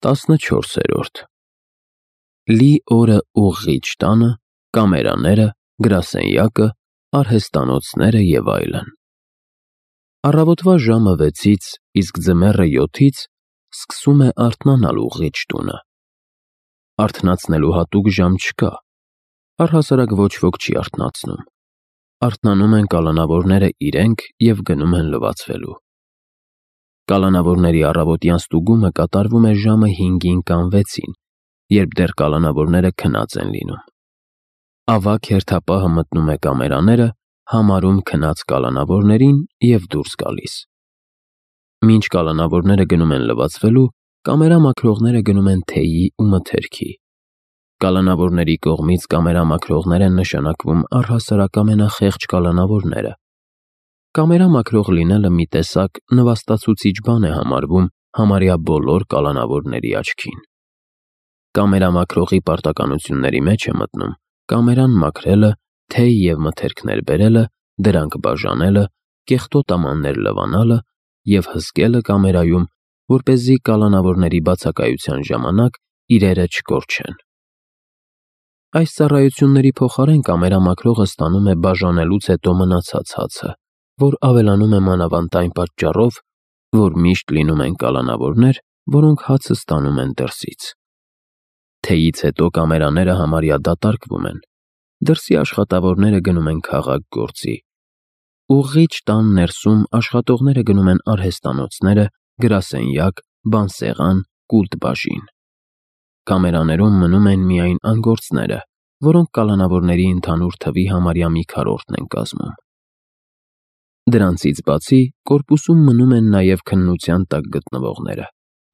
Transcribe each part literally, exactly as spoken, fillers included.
տասնչորսերորդ Լի օրը ուղղիչ տանը, կամերաները, գրասենյակը, արհեստանոցները և այլն։ Առավոտվա ժամը վեցից, իսկ ձմեռը յոթից սկսում է արթնանալ ուղղիչ տունը։ Արթնացնելու հատուկ ժամ չկա, առհասարակ ոչ ոք չի արթնացնում։ Արթնանում են կալանավորները իրենք և գնում են լվացվելու։ Կալանավորների առավոտյան ստուգումը կատարվում է ժամը հինգին կամ վեցին, երբ դեռ կալանավորները քնած են լինում։ Ավագ հերթապահը մտնում է կամերաները, համարում քնած կալանավորներին և դուրս գալիս։ Մինչ կալանավորները գնում են լվացվելու, կամերամաքրողները գնում են թեյի ու մթերքի։ Կալանավորների կողմից կամերամաքրողներ են նշանակվում առհասարակ ամենախեղճ կալանավորները։ Կամերամաքրող լինելը մի տեսակ նվաստացուցիչ բան է համարվում համարյա բոլոր կալանավորների աչքին։ Կամերամաքրողի պարտականությունների մեջ է մտնում կամերան մաքրելը, թեյ և մթերքներ բերելը, դրանք բաժանելը, կեղտոտ ամաններ լվանալը և հսկելը կամերայում, որպեսզի կալանավորների բացակայության ժամանակ իրերը չկորչեն։ Այս ծառայությունների փոխարեն կամերամաքրողը ստանում է բաժանելուց հետո մնացած հացը, որ ավելանում է մանավանդ այն պատճառով, որ միշտ լինում են կալանավորներ, որոնք հացը ստանում են դրսից։ Թեյից հետո կամերաները համարյա դատարկվում են։ Դրսի աշխատավորները գնում են քաղաք գործի։ Ուղղիչ տան ներսում աշխատողները գնում են արհեստանոցները, գրասենյակ, բանսեղան, կուլտ֊բաժին։ Կամերաներում մնում են միայն անգործները, որոնք կալանավորների ընդհանուր թվի համարյա մի քառորդն են կազմում։ Դրանցից բացի կորպուսում մնում են նաև քննության տակ գտնվողները,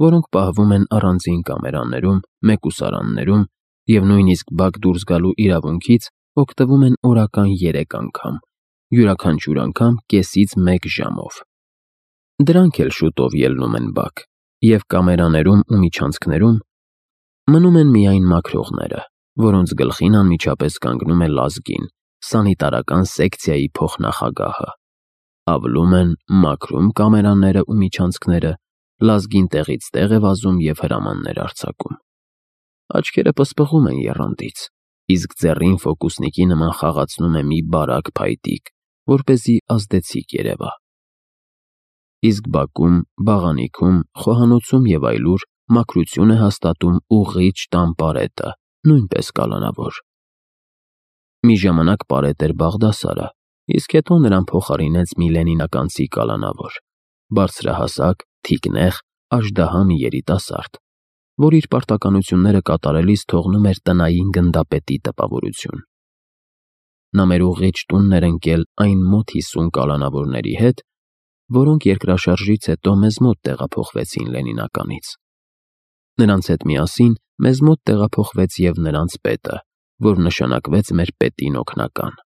որոնք պահվում են առանձին կամերաներում, մեկուսարաններում և նույնիսկ բակ դուրս գալու իրավունքից օգտվում են օրական երեք անգամ, յուրաքանչյուր անգամ կեսից մեկ ժամով։ Դրանք էլ շուտով ելնում են բակ, և կամերաներում ու միջանցքներում մնում են միայն մաքրողները, որոնց գլխին անմիջապես կանգնում է լազգին, սանիտարական սեկցիայի փոխնախագահը։ Ավլում են, մաքրում կամերաները ու միջանցքները, լազգին տեղից տեղ է վազում և հրամաններ արձակում։ Աչքերը պսպղում են եռանդից, իսկ ձեռին ֆոկուսնիկի նման խաղացնում է մի բարակ փայտիկ, որպեսզի ազդեցիկ երևա։ Իսկ բակում, բաղանիքում, խոհանոցում և այլուր մաքրություն է հաստատում ուղղիչ տան պարետը, նույնպես կալանավոր։ Մի ժամանակ պարետ էր Բաղդասարը, իսկ հետո նրան փոխարինեց մի լենինականցի կալանավոր, բարձրահասակ, թիկնեղ, աժդահա մի երիտասարդ, որ իր պարտականությունները կատարելիս թողնում էր տնային գնդապետի տպավորություն։ Նա մեր ուղղիչ տունն էր ընկել այն մոտ հիսուն կալանավորների հետ, որոնք երկրաշարժից հետո մեզ մոտ տեղափոխվեցին Լենինականից։ Նրանց հետ միասին մեզ մոտ տեղափոխվեց և նրանց պետը, որ նշանակվեց մեր պետին օգնական։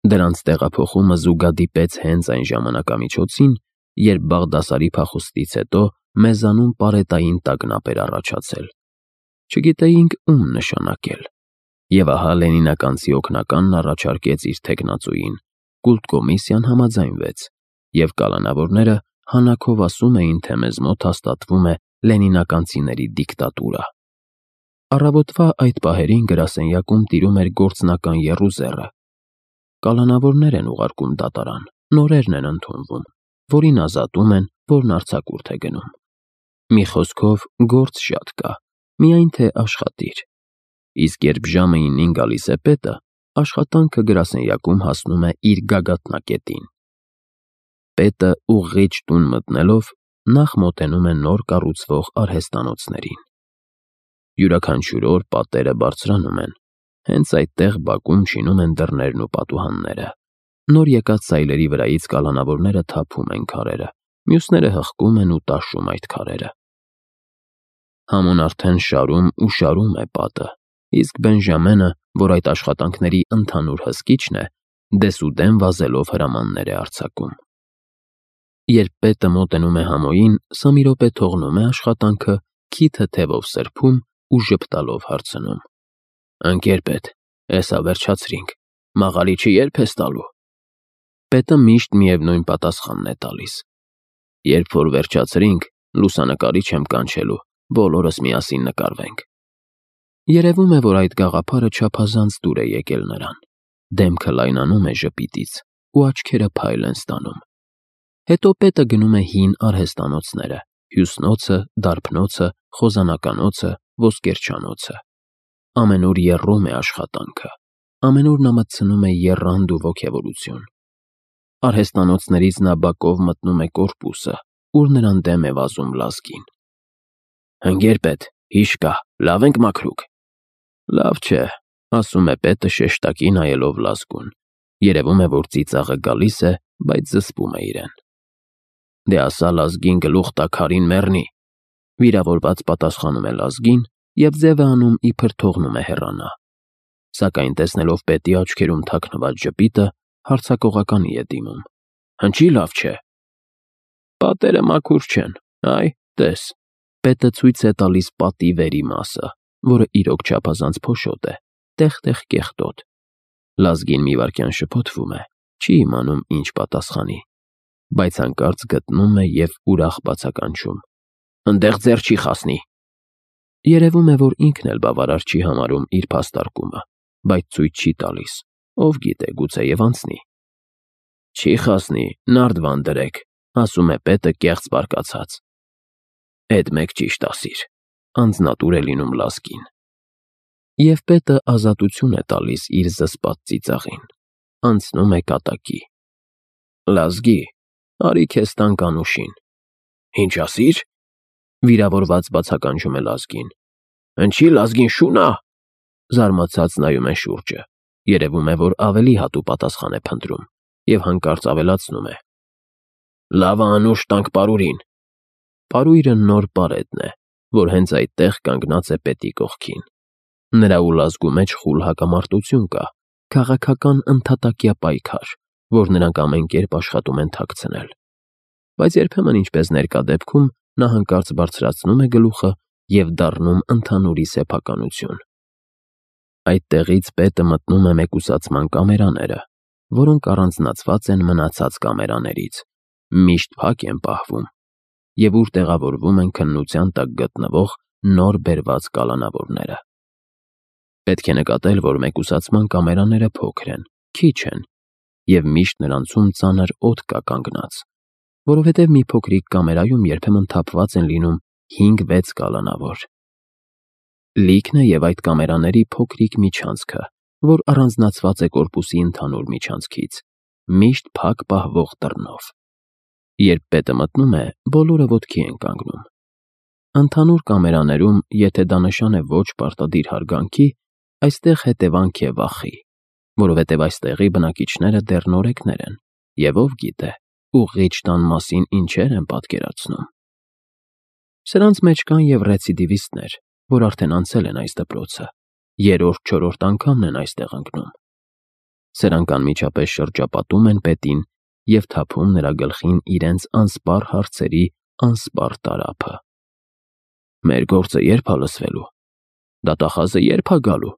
Դրանց տեղափոխումը զուգադիպեց հենց այն ժամանակամիջոցին, երբ Բաղդասարի փախուստից հետո մեզանում պարետային տագնապ էր առաջացել։ Չգիտեինք ում նշանակել։ Եվ ահա լենինականցի օգնականն առաջարկեց իր թեկնածուին, կուլտկոմիսիան համաձայնվեց, և կալանավորները հանաքով ասում էին, թե մեզ մոտ հաստատվում է լենինականցիների դիկտատուրա։ Առավոտվա այդ պահերին գրասենյակում տիրում էր գործնական եռուզեռը։ Կալանավորներ են ուղարկում դատարան, նորերն են ընդունվում, որին ազատում են, որն արձակուրդ է գնում։ Մի խոսքով, գործ շատ կա, միայն թե աշխատիր։ Իսկ երբ ժամը իննին գալիս է պետը, աշխատանքը գրասենյակում հասնում է իր գագաթնակետին։ Պետը ուղղիչ տուն մտնելով նախ մոտենում է նոր կառուցվող արհեստանոցներին։ Յուրաքանչյուր օր պատերը բարձրանում են, հենց այդտեղ բակում շինում են դռներն ու պատուհանները։ Նոր եկած սայլերի վրայից կալանավորները թափում են քարերը, մյուսները հղկում են ու տաշում այդ քարերը։ Համոն արդեն շարում ու շարում է պատը, իսկ Բենժամենը, որ այդ աշխատանքների ընդհանուր հսկիչն է, դեսուդեն վազելով հրամաններ է արձակում։ Երբ պետը մոտենում է համոյին, սա մի րոպե թողնում է աշխատանքը, քիթը թևով սրբում ու ժպտալով հարցնում. «Ընկեր պետ, էսա վերջացրինք, մաղարիչը ե՞րբ ես տալու»։ Պետը միշտ միևնույն պատասխանն է տալիս. «Երբ որ վերջացրինք, լուսանկարիչ եմ կանչելու, բոլորս միասին նկարվենք։ Երևում է, որ այդ գաղափարը չափազանց դուր է եկել նրան, դեմքը լայնանում է ժպիտից ու աչքերը փայլ են ստանում։ Հետո պետը գնում է հին արհեստանոցները՝ Հյուսնոցը, Դարբնոցը, Խոզանականոցը, Ոսկերչանոցը։ Ամենուր եռում է աշխատանքը, ամենուր նա մտցնում է եռանդ ու ոգևորություն։ Արհեստանոցներից նա բակով մտնում է կորպուսը, ուր նրան դեմ է վազում լազգին։ Հնգեր պետ, հիշ կա, լավ ենք մաքրուկ։ Լավ չէ, ասում է պետը շեշտակի նայելով լազգուն։ Երևում է, որ ծիծաղը գալիս է, բայց զսպում է իրեն։ Դե ասա լազգին գլուխ տա քարին մեռնի։ Վիրավորված պատասխանում է լազգին և ձև է անում, իբր թողնում է հեռանա։ Սակայն տեսնելով պետի աչքերում թաքնված ժպիտը, հարձակողականի է դիմում։ Հնչի լավ չէ։ Պատերը մաքուր չեն, այ, տես։ Պետը ցույց է տալիս պատի վերի մասը, որը իրոք չափազանց փոշոտ է, տեղ-տեղ կեղտոտ։ Լազգին մի վայրկյան շփոթվում է, չի իմանում ինչ պատասխանի, բայց հանկարծ գտնում է և ուրախ բացականչում. Ընդեղ ձեռ չի խասնի։ Երևում է, որ ինքն էլ բավարար չի համարում իր փաստարկումը, բայց ցույց չի տալիս, ով գիտե, գուցեև անցնի։ Չի խասնի, նարդվան դրեք, ասում է պետը կեղծ բարկացած։ Էդ մեկ ճիշտ ասիր, անձնատուր է լինում լազգին։ Եվ պետը ազատություն է տալիս իր զսպած ծիծաղին, անցնում է կատակի։ Լազգի, արի քեզ տանք անուշին։ Ինչ ասիր։ Վիրավորված բացականչում է լազգին։ Հնչի լազգին շունա։ Զարմացած նայում է շուրջը։ Երևում է, որ ավելի հատու պատասխան է փնտրում և հանկարծ ավելացնում է. Լավը անուշ տանք պարուրին։ Պարույրը նոր պարետն է, որ հենց այդտեղ կանգնած է պետի կողքին։ Նրա ու լազգու մեջ խուլ հակամարտություն կա, քաղաքական ընդհատակյա պայքար, որ նրանք ամեն կերպ աշխատում են թաքցնել։ Բայց երբեմն, ինչպես ներկա դեպքում, նա հանկարծ բարձրացնում է գլուխը և դառնում ընդհանուրի սեփականություն։ Այդտեղից պետը մտնում է մեկուսացման կամերաները, որոնք առանձնացված են մնացած կամերաներից, միշտ փակ են պահվում, և ուր տեղավորվում են քննության տակ գտնվող նոր բերված կալանավորները։ Պետք է նկատել, որ մեկուսացման կամերաները փոքր են, քիչ են, և միշտ նրանցում ծանր օդ կա կանգնած, որովհետև մի փոքրիկ կամերայում երբեմն թափված են լինում հինգ֊վեց կալանավոր։ Լիքն է և այդ կամերաների փոքրիկ միջանցքը, որ առանձնացված է կորպուսի ընդհանուր միջանցքից, միշտ փակ պահվող դռնով։ Երբ պետը մտնում է, բոլորը ոտքի են կանգնում։ Ընդհանուր կամերաներում, եթե դա նշան է ոչ պարտադիր հարգանքի, այստեղ հետևանք է վախի, որովհետև այստեղի բնակիչները դեռ նորեկներ են, և ով գիտե, ուղղիչ տան մասին ինչեր են պատկերացնում։ Սրանց մեջ կան և ռեցիդիվիստներ, որ արդեն անցել են այս դպրոցը, երրորդ-չորրորդ անգամն են այստեղ ընկնում։ Սրանք անմիջապես շրջապատում են պետին և թափում նրա գլխին իրենց անսպառ հարցերի անսպառ տարափը։ Մեր գործը ե՞րբ ա լսվելու։ Դատախազը ե՞րբ ա գալու։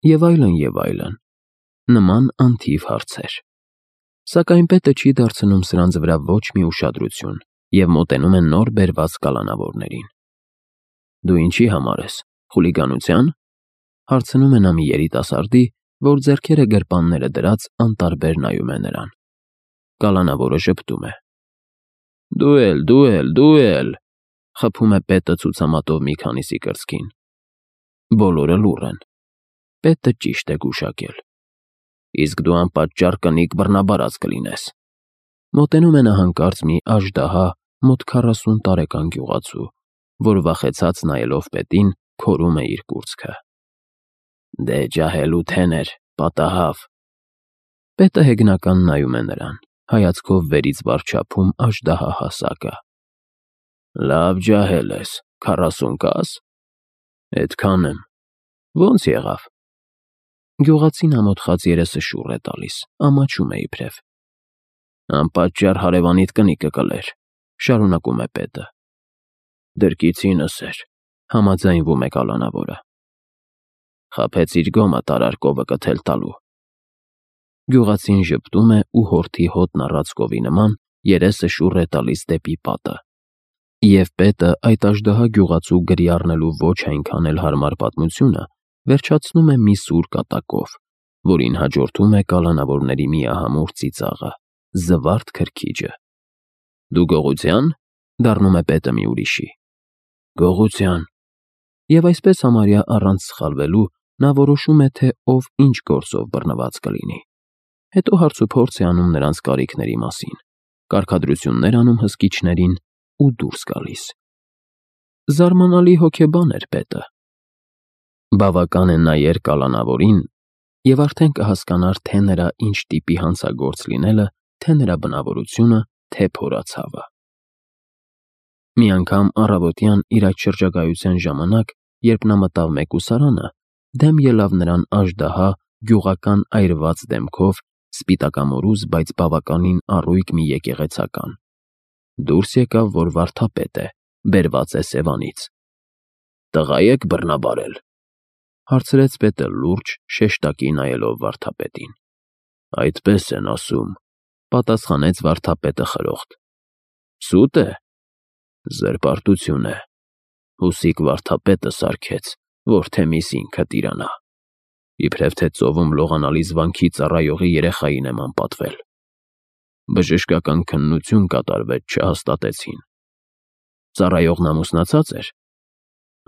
Եվ այլն, և այլն։ Նման անթիվ հարցեր։ Սակայն պետը չի դարձնում սրանց վրա ոչ մի ուշադրություն և մոտենում է նոր բերված կալանավորներին։ Դու ինչի համար ես, խուլիգանության։ Հարցնում է նա մի երիտասարդի, որ ձեռքերը գրպանները դրած անտարբեր նայում է նրան։ Կալանավորը ժպտում է։ Դու էլ, դու էլ, դու էլ, խփում է պետը ցուցամատով մի քանիսի կրծքին։ Բոլորը լուռ են։ Պետը ճիշտ է գուշակել։ Իսկ դու անպատճառ կնիկ բռնաբարած կլինես։ Մոտենում է նա հանկարծ մի աժդահա մոտ քառասուն տարեկան գյուղացու, որ վախեցած նայելով պետին, քորում է իր կուրծքը։ Դե ջահել ու թեներ, պատահավ։ Պետը հեգնական նայում է նրան, հայացքով վերից վար չափում աժդահա հասակը։ Լավ ջահել ես, քառասուն կաս։ Էդքան եմ։ Ոնց եղավ։ Գյուղացին ամոթխած երեսը շուռ է տալիս, ամաչում է իբրև։ Անպատճառ հարևանիդ կնիկը կլեր, շարունակում է պետը։ Դրկիցինս էր, համաձայնվում է կալանավորը։ Խաբեց իր գոմը տարար կովը կթել տալու։ Գյուղացին ժպտում է ու հորթի հոտն առած կովի նման երեսը շուռ է տալիս դեպի պատը։ Եվ պետը այդ աժդահա գյուղացու գրի առնելու ոչ այնքան էլ հարմար պատմությունը վերջացնում է մի սուր կատակով, որին հաջորդում է կալանավորների միահամուռ ծիծաղը, զվարթ քրքիջը։ «Դու գողությա՞ն», դառնում է պետը մի ուրիշի։ «Գողության»։ Եվ այսպես համարյա առանց սխալվելու նա որոշում է, թե ով ինչ գործով բռնված կլինի։ Հետո հարցուփորձ է անում նրանց կարիքների մասին, կարգադրություններ անում հսկիչներին ու դուրս գալիս։ Զարմանալի հոգեբան էր պետը։ Բավական է նայեր կալանավորին, և արդեն կհասկանար թե նրա ինչ տիպի հանցագործ լինելը, թե նրա բնավորությունը, թե փորացավը։ Մի անգամ առավոտյան իր այդ շրջագայության ժամանակ, երբ նա մտավ մեկուսարանը, դեմ ելավ նրան աժդահա գյուղական այրված դեմքով սպիտակամորուզ, բայց բավականին առույգ մի եկեղեցական։ Դուրս եկավ, որ վարդապետ է, բերված է Սևանից։ «Տղա եք բռնաբարել», հարցրեց պետը լուրջ, շեշտակի նայելով վարդապետին։ «Այդպես են ասում», պատասխանեց վարդապետը խրոխտ։ «Սուտ է»։ «Զրպարտություն է։ Հուսիկ վարդապետը սարքեց, որ թեմիս ինքը տիրանա։ Իբրև թե ծովում լողանալիս վանքի ծառայողի երեխային եմ անպատվել։ Բժշկական քննություն կատարվեց, չհաստատեցին։ Ծառայողն ամուսնացած էր։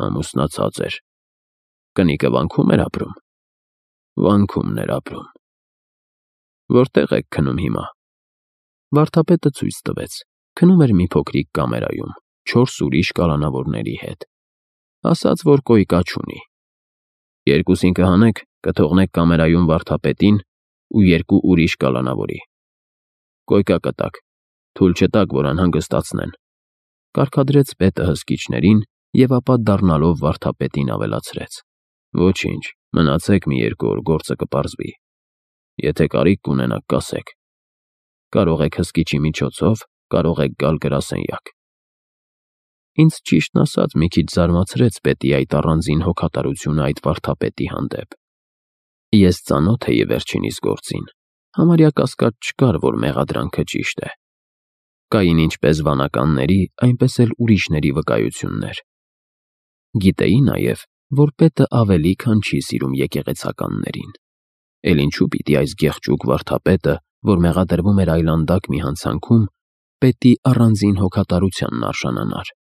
Ամուսնացած էր։ Կնիկը վանքում էր ապրում։ Վանքումն էր ապրում։ Որտեղ եք քնում հիմա։ Վարդապետը ցույց տվեց։ Քնում էր մի փոքրիկ կամերայում, չորս ուրիշ կալանավորների հետ։ Ասաց, որ կոյկա չունի։ Երկուսին կհանեք, կթողնեք կամերայում վարդապետին ու երկու ուրիշ կալանավորի։ Կոյկա կտակ, թույլ չտաք, որ անհանգստացնեն, կարգադրեց պետը հսկիչներին և ապա դառնալով վարդապետին ավելացրեց. Ոչինչ, մնացեք մի երկու օր, գործը կպարզվի։ Եթե կարիք կունենաք, կասեք։ Կարող եք հսկիչի միջոցով, կարող եք գալ գրասենյակ։ Ինձ ճիշտն ասած մի քիչ զարմացրեց պետի այդ առանձին հոգատարությունը այդ վարդապետի հանդեպ։ Ես ծանոթ էի վերջինիս գործին, համարյա կասկած չկար, որ մեղադրանքը ճիշտ է։ Կային ինչպես վանականների, այնպես էլ ուրիշների վկայություններ։ Գիտեի նաև, որ պետը ավելի քան չի սիրում եկեղեցականներին։ Էլ ինչու պիտի այս գեղջուկ վարդապետը, որ մեղադրվում էր այլանդակ մի հանցանքում, պետի առանձին հոգատարությանն արժանանար։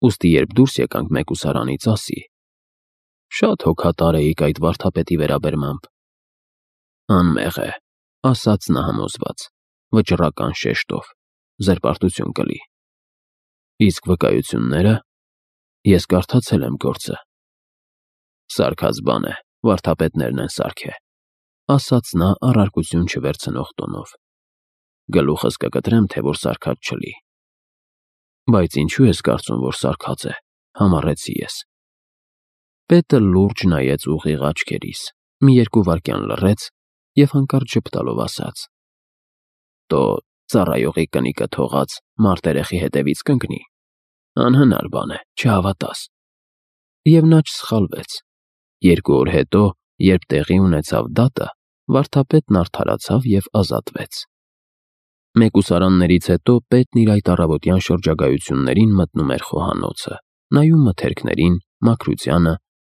Ուստի երբ դուրս եկանք մեկուսարանից, ասի. Շատ հոգատար էիք այդ վարդապետի վերաբերմամբ։ Անմեղ է, ասաց նա համոզված, վճռական շեշտով, զրպարտություն կլի։ Իսկ վկայությունները, ես կարդացել եմ գործը։ Սարքած բան է, վարդապետներն են սարքե, ասաց նա առարկություն չվերցնող տոնով։ Գլուխս կկտրեմ, թե որ սարքած չլի։ Բայց ինչու ես կարծում, որ սարքած է, համառեցի ես։ Պետը լուրջ նայեց ուղիղ աչքերիս, մի երկու վայրկյան լռեց և հանկարծ ժպտալով ասաց. Տո ծառայողի կնիկը թողած մարտերեխի հետևից կընկնի։ Անհնար բան է, չհավատաս։ Եվ նա չսխալվեց։ Երկու օր հետո, երբ տեղի ունեցավ դատը, վարդապետն արդարացավ և ազատվեց։ Մեկուսարաններից հետո պետն իր այդ առավոտյան շրջագայություններին մտնում էր խոհանոցը, նայում մթերքներին, մաքրությանը,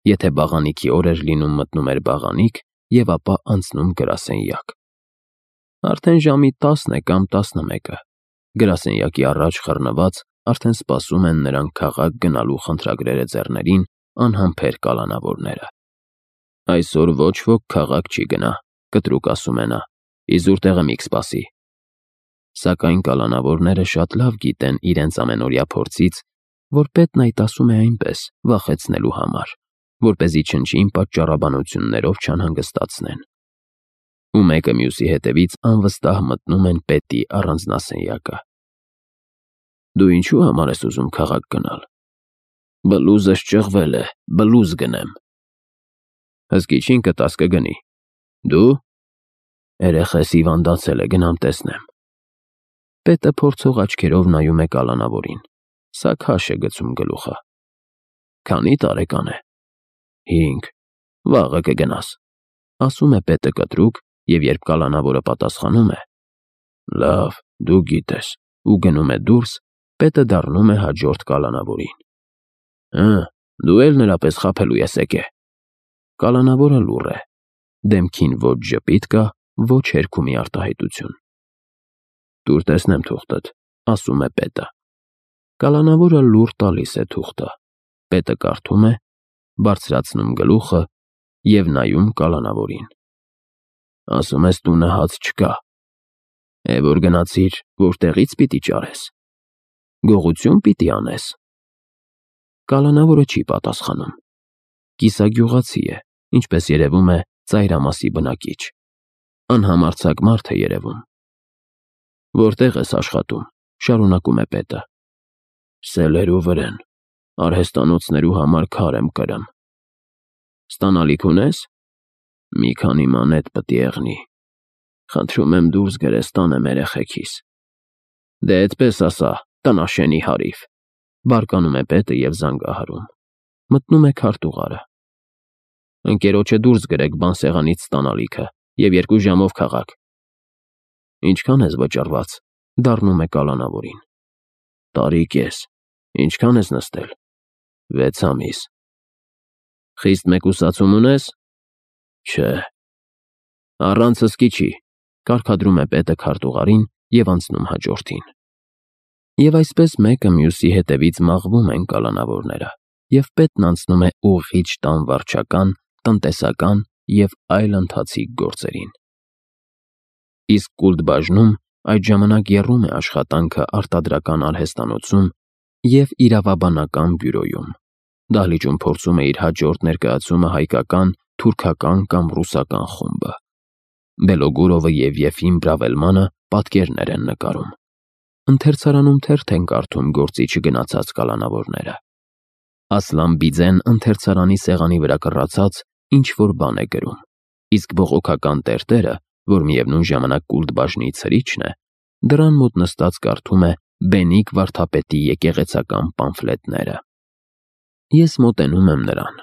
եթե բաղանիքի օր էր լինում, մտնում էր բաղանիք և ապա անցնում գրասենյակ։ Արդեն ժամի տասն է կամ տասնմեկը, գրասենյակի առաջ խռնված արդեն սպասում են նրան քաղաք գնալու խնդրագրերը ձեռներին անհամբեր կալանավորները։ Այսօր ոչ ոք քաղաք չի գնա, կտրուկ ասում է նա, իզուր տեղը մի կսպասի։ Սակայն կալանավորները շատ լավ գիտեն իրենց ամենօրյա փորձից, որ պետն այդ ասում է այնպես, վախեցնելու համար, որպեսզի չնչին պատճառաբանություններով չանհանգստացնեն։ Ու մեկը մյուսի հետևից անվստահ մտնում են պետի առանձնասենյակը։ Դու ինչու համար ես ուզում քաղաք գնալ։ Բլուզս ճղվել է, բլուզ գնեմ։ Հսկիչին կտաս կգնի։ Դու։ Երեխես հիվանդացել է, գնամ տեսնեմ։ Պետը փորձող աչքերով նայում է կալանավորին, սա քաշ է գցում գլուխը։ Քանի տարեկան է։ Հինգ։ Վաղը կգնաս, ասում է պետը կտրուկ, և երբ կալանավորը պատասխանում է. Լավ, դու գիտես, ու գնում է դուրս, Պետը դառնում է հաջորդ կալանավորին. Հը, դու էլ նրա պես խաբելու ես եկե։ Կալանավորը լուռ է, դեմքին ոչ ժպիտ կա, ոչ հերքումի արտահայտություն։ Տուր տեսնեմ թուղթդ, ասում է պետը։ Կալանավորը լուռ տալիս է թուղթը, պետը կարդում է, բարձրացնում գլուխը և նայում կալանավորին։ Ասում ես տունը հաց չկա, է որ գնացիր, որտեղից պիտի ճարես, գողություն պիտի անես։ Կալանավորը չի պատասխանում, կիսագյուղացի է, ինչպես երևում է ծայրամասի բնակիչ, անհամարձակ մարդ է երևում։ Որտեղ ես աշխատում, շարունակում է պետը։ Սելերու վրեն, արհեստանոցներու համար քար եմ կրում։ Ստանալիք ունես։ Մի քանի մանետ պտի եղնի, խնդրում եմ դուրս գրես տանեմ երեխեքիս։ Դե այդպես ասա, տնաշենի հարիվ, բարկանում է պետը և զանգահարում, մտնում է քարտուղարը։ Ընկերոջը դուրս գրեք բանսեղանից ստանալիքը և երկու ժամով քաղաք։ Ինչքան ես վճռված, դառնում է կալանավորին։ Տարի կես, ինչքան ես նստել։ Վեց ամիս։ Խիստ մեկուսացում ունես։ Չէ։ Առանց հսկի չի, կարգադրում է պետը քարտուղարին և անցնում հաջորդին։ Եվ այսպես մեկը մյուսի հետևից մաղվում են կալանավորները, և պետն անցնում է ուղիղ տան վարչական, տնտեսական և այլ ընթացիկ գործերին։ Իսկ Կուլտբաժնում այդ ժամանակ եռում է աշխատանքը արտադրական արհեստանոցում և իրավաբանական բյուրոյում, դահլիճում փորձում է իր հաջորդ ներկայացումը հայկական, թուրքական կամ ռուսական խումբը։ Բելոգուրովը և Եֆիմ Բրավելմանը պատկերներ են նկարում։ Ընթերցարանում թերթ են կարդում գործի չգնացած կալանավորները։ Ասլան Բիձեն ընթերցարանի սեղանի վրա կռացած ինչ-որ բան է գրում, իսկ բողոքական տերտերը, որ միևնույն ժամանակ Կուլտբաժնի ցրիչն է, դռան մոտ նստած կարդում է Բենիկ վարդապետի եկեղեցական պամֆլետները։ Ես մոտենում եմ նրան։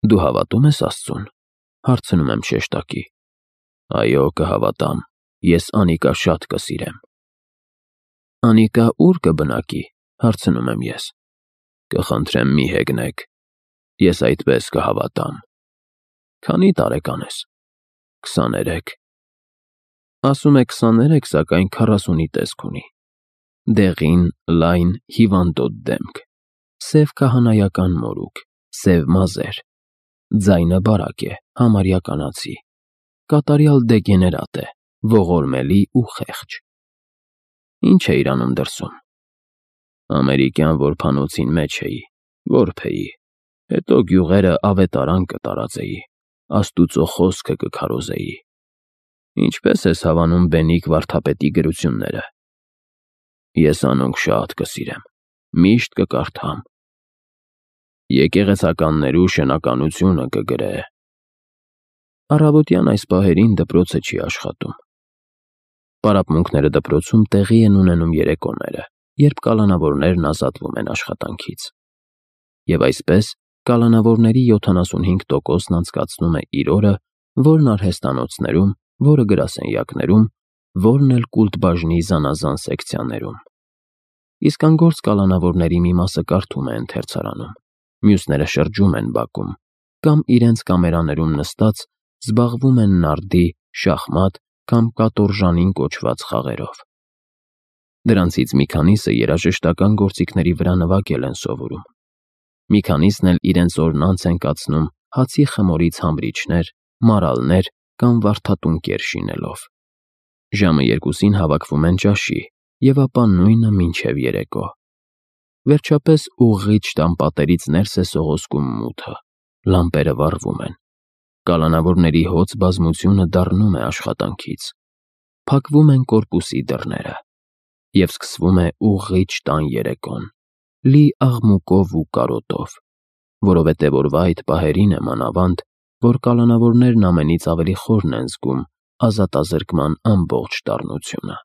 Դու հավատում ես Աստծուն, հարցնում եմ շեշտակի։ Այո, կհավատամ, ես Անիկա շատ կսիրեմ։ Անիկա ուր կբնակի, հարցնում եմ ես։ Կխնդրեմ մի հեգնեք, ես այդպես կհավատամ։ Քանի տարեկան ես։ Քսաներեք։ Ասում է քսաներեք, սակայն քառասունի տեսք ունի։ Դեղին, լայն, հիվանդոտ դեմք, սև քահանայական մորուք, սև մազեր, ձայնը բարակ է, համարյա կանացի, կատարյալ դեգեներատ է, ողորմելի ու խեղճ։ Ինչ է իրանում դրսում։ Ամերիկյան որբանոցին մեջ էի, որբ էի, հետո գյուղերը ավետարան կտարածեի, Աստուծո խոսքը կքարոզեի։ Ինչպես ես հավանում Բենիկ վարդապետի գրությունները։ Ես անոնք շատ կսիրեմ, միշտ կկարդամ։ Եկեղեցականներու շնականությունը կգրե։ Առավոտյան այս պահերին դպրոցը չի աշխատում։ Պարապմունքները դպրոցում տեղի են ունենում երեկոները, երբ կալանավորներն ազատվում են աշխատանքից։ Եվ այսպես կալանավորների յոթանասունհինգ տոկոսն անցկացնում է իր օրը, որն արհեստանոցներում, որը գրասենյակներում, որն էլ Կուլտբաժնի զանազան սեկցիաներում։ Իսկ անգործ կալանավորների մի մասը կարդում է ընթերցարանում, մյուսները շրջում են բակում, կամ իրենց կամերաներում նստած զբաղվում են նարդի, շախմատ կամ կատորժանին կոչված խաղերով։ Դրանցից մի քանիսը երաժշտական գործիքների վրա նվագել են սովորում։ Մի քանիսն էլ իրենց օրն անց են կացնում հացի խմորից համրիչներ, մարալներ կամ վարդատունկեր շինելով։ Ժամը երկուսին հավաքվում են ճաշի և ապա նույնը մինչև երեկո։ Վերջապես ուղղիչ տան պատերից ներս է սողոսկում մութը, լամպերը վառվում են, կալանավորների հոծ բազմությունը դառնում է աշխատանքից, փակվում են կորպուսի դռները, և սկսվում է ուղղիչ տան երեկոն, լի աղմուկով ու կարոտով, որովհետև օրվա այդ պահերին է մանավանդ, որ կալանավորներն ամենից ավելի խորն են զգում ազատազրկման ամբողջ դառնությունը։